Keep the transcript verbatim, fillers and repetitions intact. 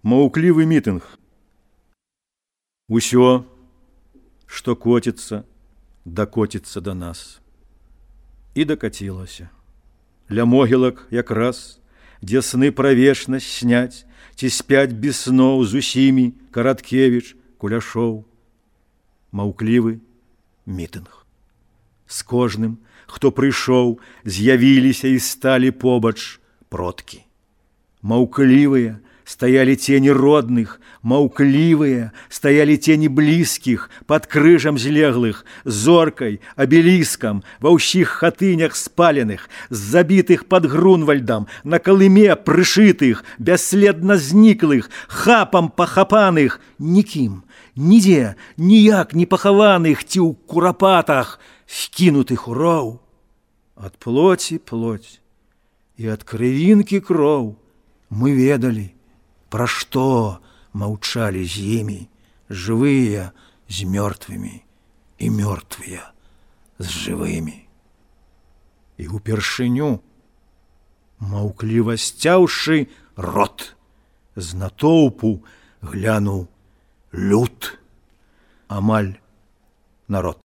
Маўклівы мітынг. Усё, што коціцца, дакоціцца да нас. І дакацілася. Ля могілак якраз, дзе сны пра вечнасць сняць, ці спяць без сноў з усімі Караткевіч, Куляшоў. Маўклівы мітынг. З кожным, хто прыйшоў, з'явіліся і сталі побач продкі. Маўклівыя стаялі цені родных, маўклівыя стаялі цені блізкіх, пад крыжам злеглых, зоркай, абеліскам, ва ўсіх хатынях спаленых, забітых пад Грунвальдам, на калыме прышытых, бясследна зніклых, хапам пахапаных, нікім, нідзе, ніяк не пахаваных ці ў курапатах, скінутых у роў. Ад плоці плоть і ад крывінкі кроў мы ведалі, пра што маўчалі з імі жывыя з мёртвымі і мёртвыя з жывымі. І упершыню, маўкліва сцяўшы рот, з натоўпу глянуў люд, амаль народ.